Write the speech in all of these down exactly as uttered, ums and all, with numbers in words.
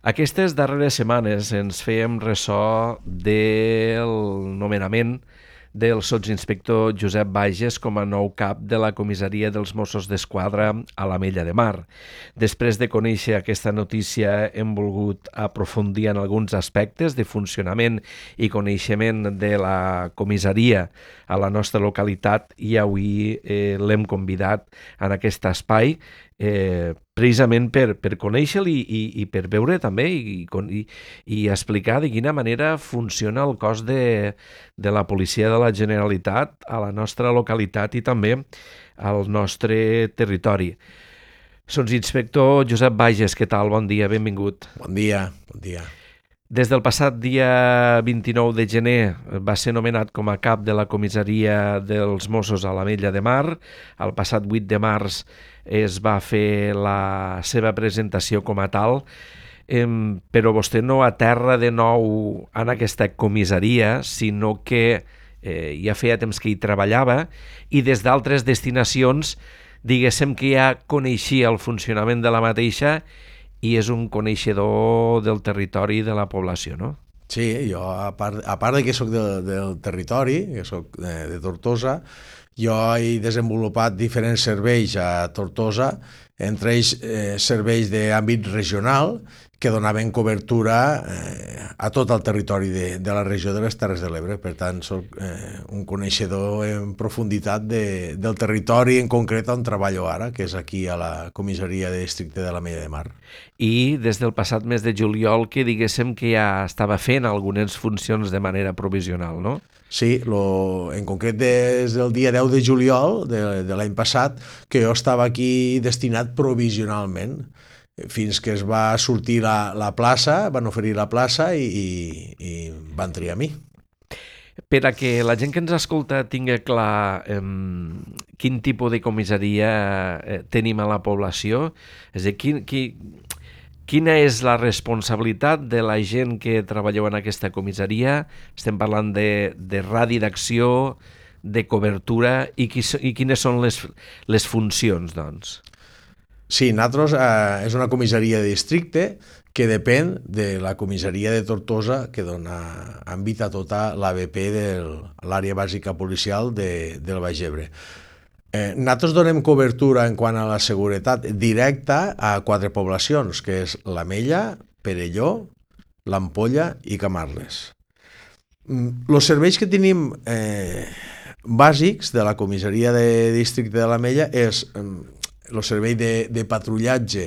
Aquestes darreres setmanes ens fèiem ressò del nomenament del sotsinspector Josep Bages com a nou cap de la comissaria dels Mossos d'Esquadra a l'Ametlla de Mar. Després de conèixer aquesta notícia hem volgut aprofundir en alguns aspectes de funcionament i coneixement de la comissaria a la nostra localitat i avui eh, l'hem convidat en aquest espai eh, precisament per, per conèixer-lo i, i, i per veure també i, i, i explicar de quina manera funciona el cos de, de la policia de la Generalitat a la nostra localitat i també al nostre territori. Sotsinspector Josep Bages, què tal? Bon dia, benvingut. Bon dia, bon dia. Des del passat dia vint-i-nou de gener va ser nomenat com a cap de la comissaria dels Mossos a l'Ametlla de Mar. El passat vuit de març es va fer la seva presentació com a tal, eh, però vostè no aterra de nou en aquesta comissaria, sinó que eh, ja feia temps que hi treballava i des d'altres destinacions, diguéssim que ja coneixia el funcionament de la mateixa i és un coneixedor del territori i de la població, no? Sí, jo, a part, a part de que soc de, del territori, que soc de, de Tortosa, jo he desenvolupat diferents serveis a Tortosa, entre ells eh, serveis d'àmbit regional que donaven cobertura eh, a tot el territori de, de la regió de les Terres de l'Ebre. Per tant, soc eh, un coneixedor en profunditat de, del territori en concret on treballo ara, que és aquí a la comissaria de districte de l'Ametlla de Mar. I des del passat mes de juliol que diguéssim que ja estava fent algunes funcions de manera provisional, no? Sí, lo, en concret des del dia deu de juliol de, de l'any passat que jo estava aquí destinat provisionalment, fins que es va sortir la, la plaça, van oferir la plaça i, i, i van triar a mi. Per a que la gent que ens escolta tingui clar eh, quin tipus de comissaria eh, tenim a la població, és a dir, quin, quin, quina és la responsabilitat de la gent que treballeu en aquesta comissaria? Estem parlant de, de radi d'acció, de cobertura i, qui, i quines són les, les funcions, doncs? Sí, nosaltres eh, és una comissaria de districte que depèn de la comissaria de Tortosa, que dona àmbit a tota l'A B P de l'àrea bàsica policial de, del Baix Ebre. Eh, nosaltres donem cobertura en quant a la seguretat directa a quatre poblacions, que és l'Ametlla, Perelló, l'Ampolla i Camarles. Els serveis que tenim eh, bàsics de la comissaria de districte de l'Ametlla és el servei de, de patrullatge,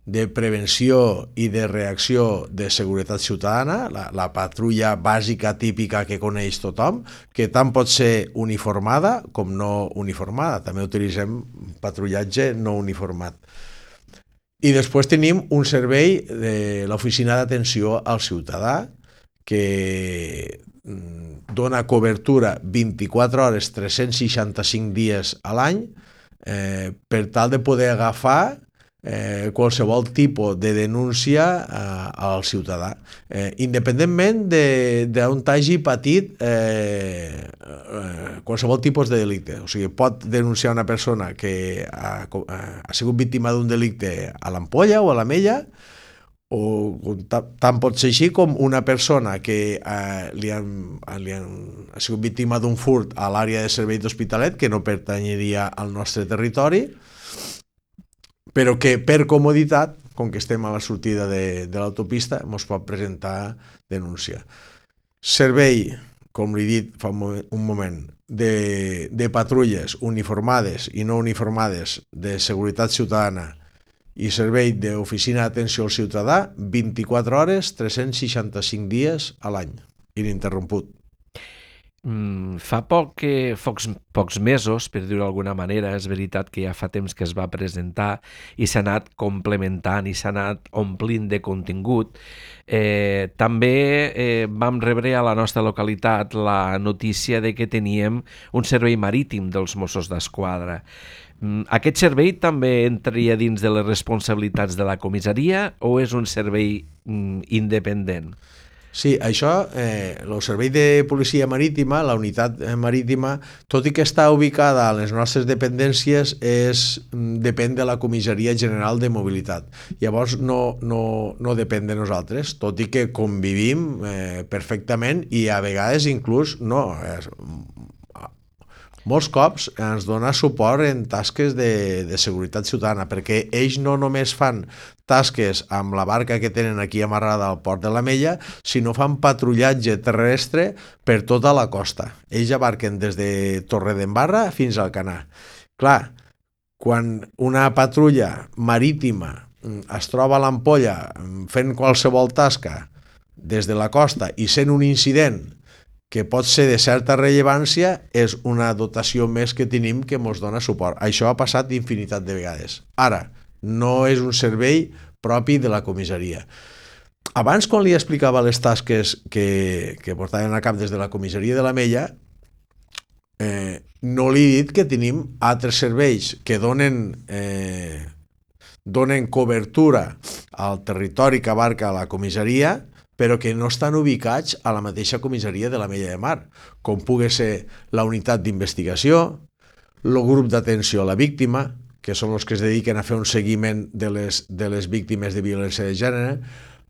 de prevenció i de reacció de seguretat ciutadana, la, la patrulla bàsica típica que coneix tothom, que tant pot ser uniformada com no uniformada. També utilitzem patrullatge no uniformat. I després tenim un servei de l'Oficina d'Atenció al Ciutadà que dona cobertura vint-i-quatre hores, tres-cents seixanta-cinc dies a l'any, Eh, per tal de poder agafar eh, qualsevol tipus de denúncia eh, al ciutadà, eh, independentment d'on hagi patit eh, eh, qualsevol tipus de delicte. O sigui, pot denunciar una persona que ha, ha sigut víctima d'un delicte a l'Ampolla o a l'Ametlla, o tant pot ser així com una persona que eh, li, han, li han, ha sigut víctima d'un furt a l'àrea de servei d'Hospitalet, que no pertanyeria al nostre territori, però que per comoditat, com que estem a la sortida de, de l'autopista, ens pot presentar denúncia. Servei, com li he dit fa un moment, un moment de, de patrulles uniformades i no uniformades de seguretat ciutadana i servei d'oficina d'atenció al ciutadà vint-i-quatre hores, tres-cents seixanta-cinc dies a l'any, ininterromput. Mm, fa poc que, pocs, pocs mesos, per dir-ho d'alguna manera, és veritat que ja fa temps que es va presentar i s'ha anat complementant i s'ha anat omplint de contingut. Eh, també eh, vam rebre a la nostra localitat la notícia de que teníem un servei marítim dels Mossos d'Esquadra. Aquest servei també entraria dins de les responsabilitats de la comissaria o és un servei mm, independent? Sí, això, eh, el Servei de Policia Marítima, la unitat marítima, tot i que està ubicada a les nostres dependències, és, depèn de la Comissaria General de Mobilitat. Llavors no, no, no depèn de nosaltres, tot i que convivim eh, perfectament i a vegades inclús no, eh, molts cops ens dona suport en tasques de, de seguretat ciutadana, perquè ells no només fan tasques amb la barca que tenen aquí amarrada al port de l'Ametlla, sinó fan patrullatge terrestre per tota la costa. Ells abarquen des de Torredembarra fins al Canà. Clar, quan una patrulla marítima es troba a l'Ampolla fent qualsevol tasca des de la costa i sent un incident que pot ser de certa rellevància, és una dotació més que tenim que ens dona suport. Això ha passat infinitat de vegades. Ara, no és un servei propi de la comissaria. Abans, quan li explicava les tasques que, que portaven a cap des de la comissaria de l'Ametlla, eh, no li he dit que tenim altres serveis que donen, eh, donen cobertura al territori que abarca la comissaria, però que no estan ubicats a la mateixa comissaria de l'Ametlla de Mar, com pugui ser la unitat d'investigació, el grup d'atenció a la víctima, que són els que es dediquen a fer un seguiment de les, de les víctimes de violència de gènere,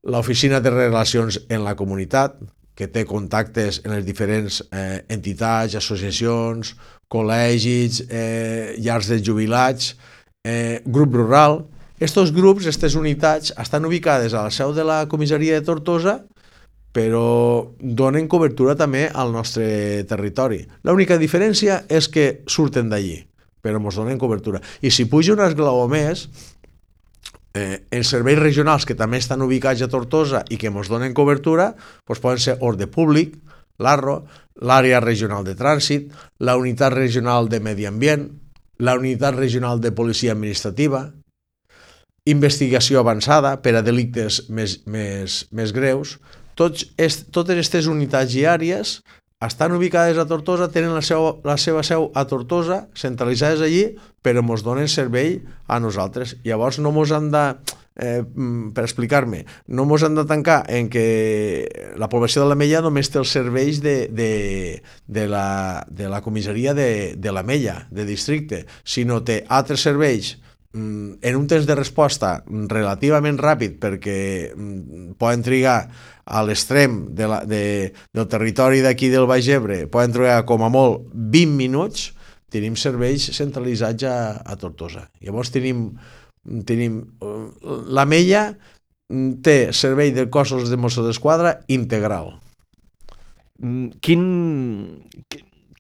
l'oficina de relacions en la comunitat, que té contactes en les diferents eh, entitats, associacions, col·legis, eh, llars de jubilats, eh, grup rural. Estos grups, aquestes unitats, estan ubicades a la seu de la comissaria de Tortosa, però donen cobertura també al nostre territori. L'única diferència és que surten d'allí, però ens donen cobertura. I si puja un esglaó més, eh, els serveis regionals que també estan ubicats a Tortosa i que ens donen cobertura, doncs poden ser Ordre Públic, l'A R R O, l'Àrea Regional de Trànsit, la Unitat Regional de Medi Ambient, la Unitat Regional de Policia Administrativa, investigació avançada per a delictes més, més, més greus. Tots est, totes aquestes unitats i àrees estan ubicades a Tortosa, tenen la, seu, la seva seu a Tortosa, centralitzades allí, però ens donen servei a nosaltres. Llavors no ens han de, eh, per explicar-me, no ens han de tancar en que la població de l'Ametlla només té els serveis de, de, de, la, de la comissaria de, de l'Ametlla, de districte, sinó té altres serveis en un temps de resposta relativament ràpid, perquè poden trigar a l'extrem de la, de, del territori d'aquí del Baix Ebre, poden trigar com a molt vint minuts. Tenim serveis centralitzats a, a Tortosa. Llavors tenim, tenim l'Ametlla té servei de cossos de Mossos d'Esquadra integral. Quin...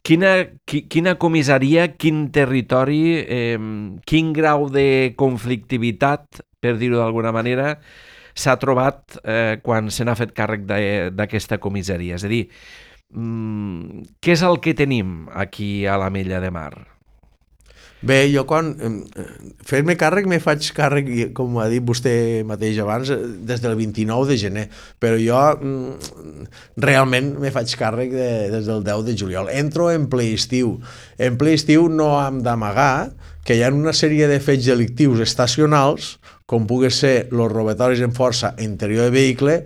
Quina, quina comissaria, quin territori, eh, quin grau de conflictivitat, per dir-ho d'alguna manera, s'ha trobat eh, quan se n'ha fet càrrec d'aquesta comissaria? És a dir, mm, què és el que tenim aquí a l'Ametlla de Mar? Bé, jo quan fer-me càrrec me faig càrrec, com ha dit vostè mateix abans, des del vint-i-nou de gener, però jo realment me faig càrrec de, des del deu de juliol. Entro en ple estiu. En ple estiu no hem d'amagar que hi ha una sèrie de fets delictius estacionals, com pugui ser els robatoris en força interior de vehicle,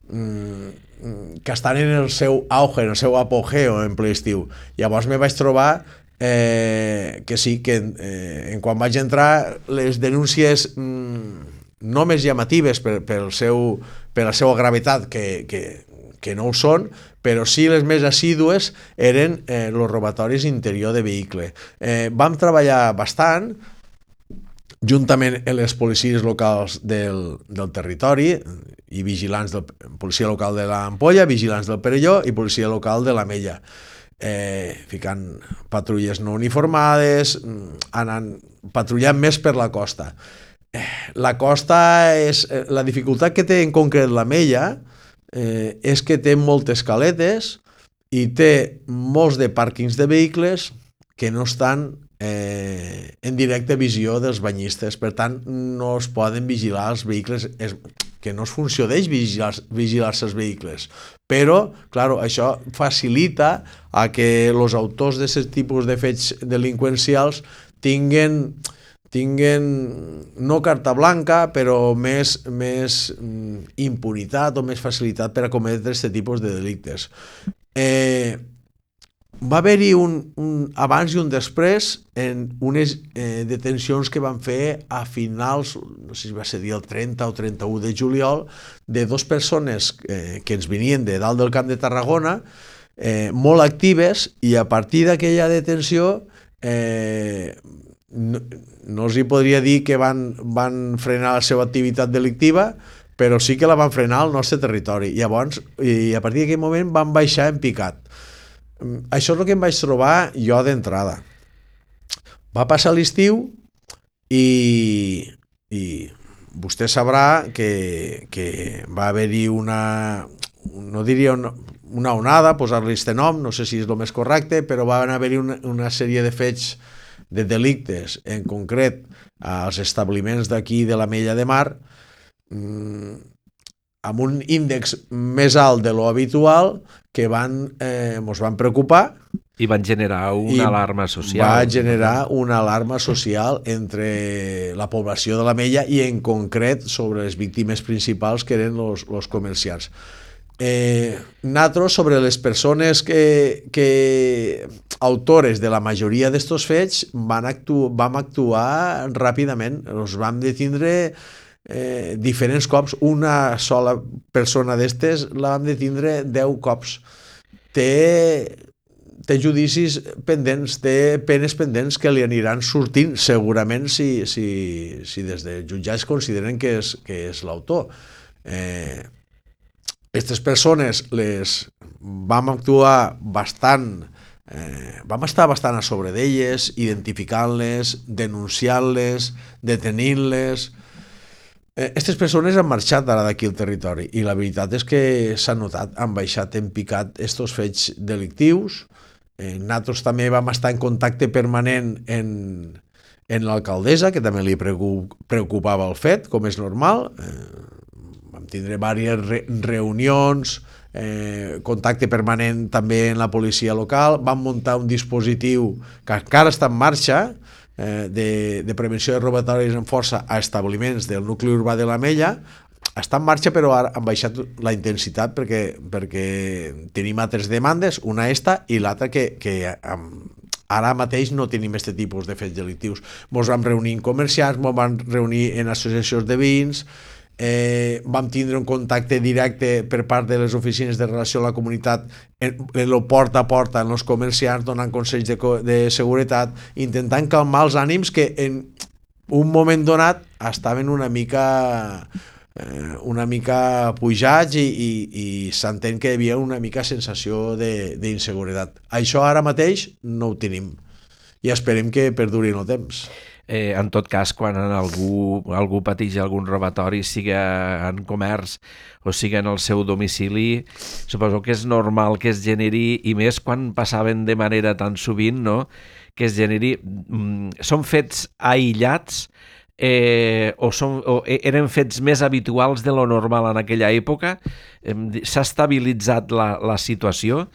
que estan en el seu auge, en el seu apogeo en ple estiu. Llavors me vaig trobar Eh, que sí, que eh, en quan vaig entrar les denúncies mm, no més llamatives per, per, el seu, per la seva gravetat, que, que, que no ho són, però sí les més assídues eren eh, els robatoris interior de vehicle. Eh, vam treballar bastant juntament amb les policies locals del, del territori i vigilants de policia local de l'Ampolla, vigilants del Perelló i policia local de l'Ametlla. Eh, ficant patrulles no uniformades, anant patrullant més per la costa. Eh, la costa és... Eh, la dificultat que té en concret l'Ametlla eh, és que té moltes caletes i té molts de pàrquings de vehicles que no estan eh, en directa visió dels banyistes, per tant no es poden vigilar els vehicles, és, que no es funció d'ells vigilar-se vigilar els vehicles, però claro, això facilita a que els autors d'aquest tipus de fets delinqüencials tinguen, tinguen no carta blanca, però més, més impunitat o més facilitat per a cometre aquest tipus de delictes. Eh, va haver-hi un, un abans i un després en unes eh, detencions que van fer a finals, no sé si va ser el trenta o trenta-u de juliol, de dues persones eh, que ens venien de dalt del Camp de Tarragona, eh, molt actives, i a partir d'aquella detenció eh, no, no els hi podria dir que van, van frenar la seva activitat delictiva, però sí que la van frenar al nostre territori. Llavors, i a partir d'aquell moment van baixar en picat. Això és el que em vaig trobar jo d'entrada. Va passar l'estiu i, i vostè sabrà que, que va haver-hi una, no diria una, una onada, posar-li este nom, no sé si és el més correcte, però va haver-hi una, una sèrie de fets de delictes, en concret als establiments d'aquí de l'Ametlla de Mar, mmm, amb un índex més alt de lo habitual, que van, eh, ens van preocupar. I van generar una alarma social. Va generar una alarma social entre la població de l'Ametlla i en concret sobre les víctimes principals, que eren els comerciants. Eh, nosaltres, sobre les persones que, que autores de la majoria d'estos fets, van actu vam actuar ràpidament. Els vam detindre eh, diferents cops. Una sola persona d'estes la vam detindre deu cops. Té, té judicis pendents, té penes pendents que li aniran sortint segurament si, si, si des de jutjats consideren que és, que és l'autor. Eh, Aquestes persones les vam actuar bastant, eh, vam estar bastant a sobre d'elles, identificant-les, denunciant-les, detenint-les. Aquestes persones han marxat ara d'aquí al territori i la veritat és que s'ha notat, han baixat en picat estos fets delictius. Eh, nosaltres també vam estar en contacte permanent en, en l'alcaldessa, que també li preocupava el fet, com és normal. Eh, vam tindre diverses re reunions, eh, contacte permanent també en la policia local. Vam muntar un dispositiu que encara està en marxa, eh, de, de prevenció de robatoris en força a establiments del nucli urbà de l'Ametlla. Està en marxa, però ara han baixat la intensitat perquè, perquè tenim altres demandes, una esta i l'altra que, que ara mateix no tenim aquest tipus de fets delictius. Ens vam reunir en comerciants, ens vam reunir en associacions de veïns, Eh, vam tindre un contacte directe per part de les oficines de relació a la comunitat en, en el porta a porta en els comerciants, donant consells de, de seguretat, intentant calmar els ànims que en un moment donat estaven una mica eh, una mica pujats i, i, i s'entén que hi havia una mica sensació d'inseguretat. Això ara mateix no ho tenim i esperem que perduri en el temps. Eh, en tot cas, quan algú, algú pateix algun robatori, siga en comerç o siga en el seu domicili, suposo que és normal que es generi, i més quan passaven de manera tan sovint, no?, que es generi... Mm, són fets aïllats eh, o, són, o eren fets més habituals de lo normal en aquella època? Eh, S'ha estabilitzat la, la situació?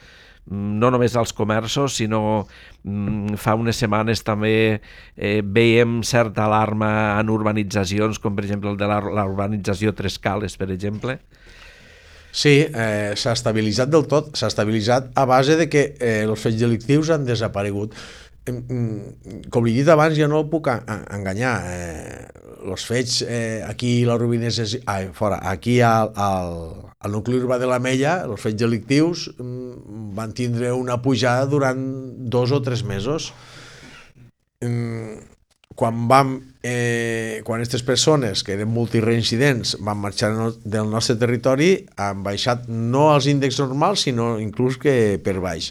No només als comerços, sinó mm, fa unes setmanes també eh, veiem certa alarma en urbanitzacions, com per exemple el de la, la urbanització Tres Cales, per exemple. Sí, eh, s'ha estabilitzat del tot, s'ha estabilitzat a base de que eh, els fets delictius han desaparegut. Com li he dit abans, jo no el puc enganyar. Eh, els fets eh, aquí a la Rubinesa, ah, fora, aquí al, al, al nucli urbà de l'Ametlla, els fets delictius mm, van tindre una pujada durant dos o tres mesos. Mm, quan vam, eh, quan aquestes persones, que eren multireincidents, van marxar no, del nostre territori, han baixat no als índexs normals, sinó inclús que per baix.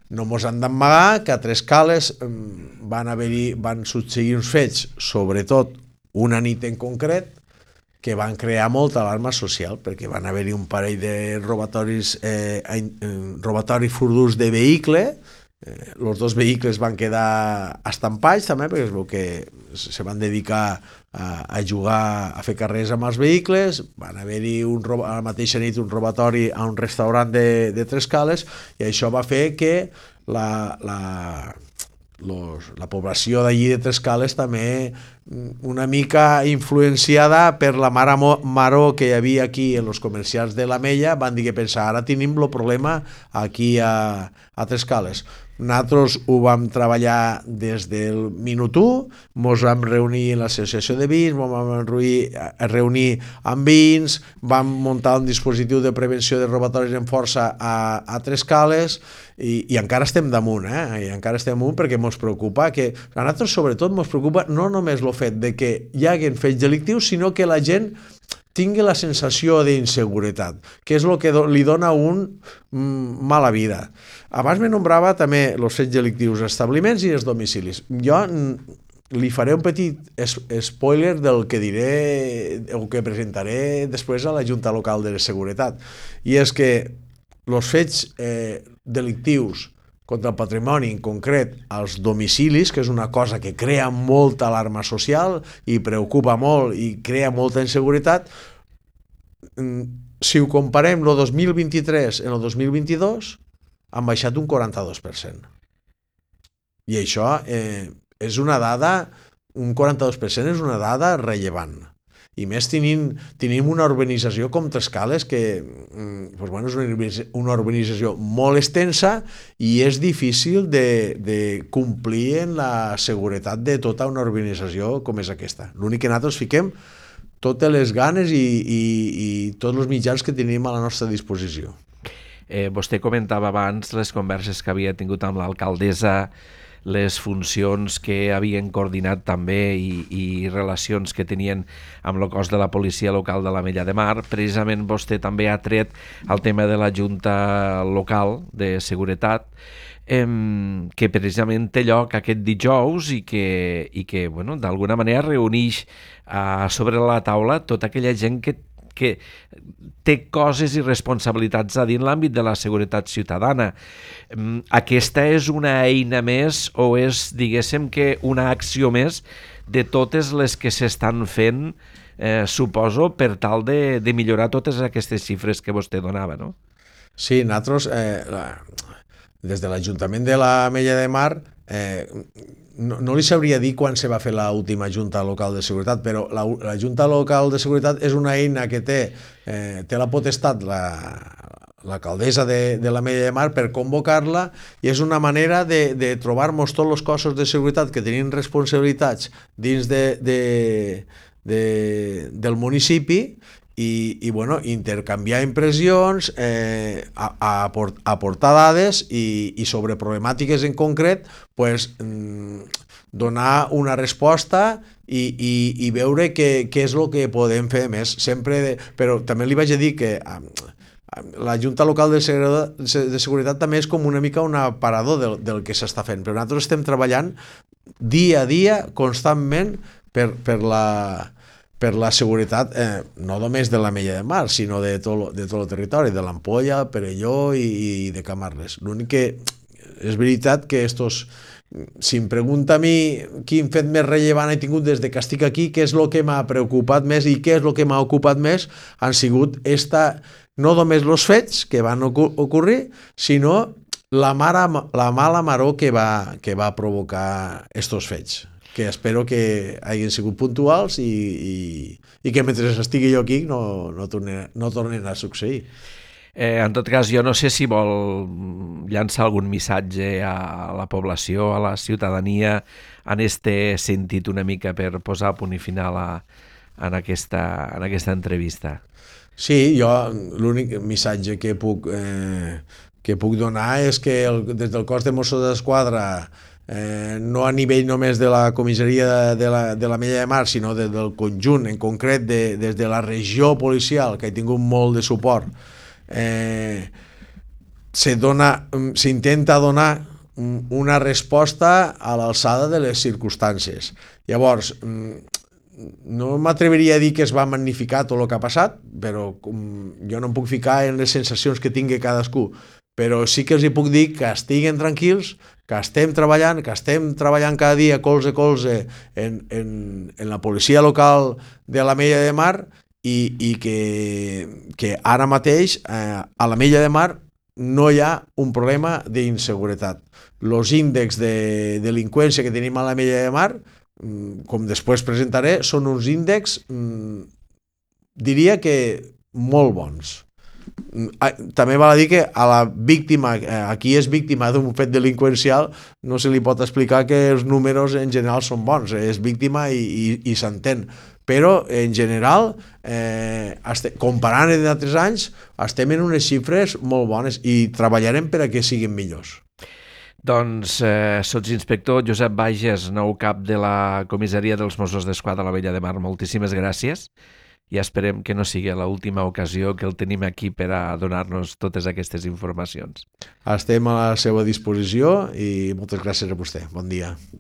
No mos han d'amagar que a Tres Cales van, haver-hi, van succeir uns fets, sobretot una nit en concret, que van crear molta alarma social, perquè van haver-hi un parell de robatoris, eh, robatoris furtius de vehicle. Eh, els dos vehicles van quedar estampats també, perquè es veu que se van dedicar a, a jugar, a fer carrers amb els vehicles. Van haver-hi un, a la mateixa nit un robatori a un restaurant de, de Tres Cales, i això va fer que la, la, los, la població d'allí de Trescales també una mica influenciada per la mare maró que hi havia aquí en els comerciants de l'Ametlla, van dir que pensar, ara tenim el problema aquí a, a Trescales. Nosaltres ho vam treballar des del minut u, ens vam reunir en l'associació de vins, ens vam reunir, reunir amb vins, vam muntar un dispositiu de prevenció de robatoris en força a, a Trescales i, i encara estem damunt, eh? I encara estem damunt perquè ens preocupa que, a nosaltres sobretot ens preocupa no només el fet de que hi hagin fets delictius, sinó que la gent tingui la sensació d'inseguretat, que és el que li dona un mm, mala vida. Abans me nombrava també els fets delictius, els establiments i els domicilis. Jo li faré un petit spoiler del que diré o que presentaré després a la Junta Local de Seguretat. I és que els fets eh, delictius contra el patrimoni, en concret als domicilis, que és una cosa que crea molta alarma social i preocupa molt i crea molta inseguretat, si ho comparem el dos mil vint-i-tres en el dos mil vint-i-dos, han baixat un quaranta-dos per cent. I això eh, és una dada, un quaranta-dos per cent és una dada rellevant. I més tenim, tenim una urbanització com Trescales que doncs, bueno, és una urbanització molt extensa i és difícil de, de complir en la seguretat de tota una urbanització com és aquesta. L'únic que nosaltres fiquem totes les ganes i, i, i tots els mitjans que tenim a la nostra disposició. Eh, vostè comentava abans les converses que havia tingut amb l'alcaldessa, les funcions que havien coordinat també i, i relacions que tenien amb el cos de la policia local de l'Ametlla de Mar. Precisament vostè també ha tret el tema de la Junta Local de Seguretat, eh, que precisament té lloc aquest dijous i que, i que bueno, d'alguna manera reuneix eh, sobre la taula tota aquella gent que que té coses i responsabilitats a dir en l'àmbit de la seguretat ciutadana. Aquesta és una eina més o és, diguéssim, que una acció més de totes les que s'estan fent, eh, suposo, per tal de, de millorar totes aquestes xifres que vostè donava, no? Sí, nosaltres, eh, la, des de l'Ajuntament de l'Ametlla de Mar, eh, No, no li sabria dir quan se va fer l'última Junta Local de Seguretat, però la, la Junta Local de Seguretat és una eina que té, eh, té la potestat l'alcaldessa de, de l'Ametlla de Mar per convocar-la i és una manera de, de trobar-nos tots els cossos de seguretat que tenim responsabilitats dins de, de, de, del municipi i, i bueno, intercanviar impressions, eh, a, a aportar dades i, i sobre problemàtiques en concret pues, donar una resposta i, i, i veure què, què és el que podem fer més. Sempre de, però també li vaig a dir que la Junta Local de Seguretat, de Seguretat també és com una mica un aparador del, del que s'està fent, però nosaltres estem treballant dia a dia, constantment, per, per la... per la seguretat, eh, no només de l'Ametlla de Mar, sinó de tot, de tot el territori, de l'Ampolla, Perelló i, i de Camarles. L'únic que és veritat que estos, si em pregunta a mi quin fet més rellevant he tingut des de que estic aquí, què és el que m'ha preocupat més i què és el que m'ha ocupat més, han sigut esta, no només els fets que van ocórrer, sinó la, mare, la mala maror que va, que va provocar estos fets, que espero que hagin sigut puntuals i, i, i que mentre estigui jo aquí no, no, tornen, no tornen a succeir. Eh, en tot cas, jo no sé si vol llançar algun missatge a la població, a la ciutadania, en este sentit una mica per posar punt i final a, en, aquesta, en aquesta entrevista. Sí, jo l'únic missatge que puc, eh, que puc donar és que el, des del cos de Mossos d'Esquadra, Eh, no a nivell només de la comissaria de la, de l'Ametlla de Mar, sinó de, del conjunt, en concret de, des de la regió policial, que ha tingut molt de suport, eh, s'intenta donar una resposta a l'alçada de les circumstàncies. Llavors, no m'atreviria a dir que es va magnificar tot el que ha passat, però jo no em puc ficar en les sensacions que tingui cadascú, però sí que els hi puc dir que estiguen tranquils, que estem treballant, que estem treballant cada dia colze a colze en, en, en la policia local de l'Ametlla de Mar i, i que, que ara mateix eh, a l'Ametlla de Mar no hi ha un problema d'inseguretat. Els índexs de delinqüència que tenim a la Mella de Mar, com després presentaré, són uns índexs, diria que molt bons. També val a dir que a la víctima, a qui és víctima d'un fet delinqüencial, no se li pot explicar que els números en general són bons, és víctima i, i, i s'entén, però en general, eh, comparant amb d'altres anys, estem en unes xifres molt bones i treballarem per a que siguin millors. Doncs eh, sotsinspector Josep Bages, nou cap de la comissaria dels Mossos d'Esquadra a la Mella de Mar, moltíssimes gràcies i esperem que no sigui l'última ocasió que el tenim aquí per a donar-nos totes aquestes informacions. Estem a la seva disposició i moltes gràcies a vostè. Bon dia.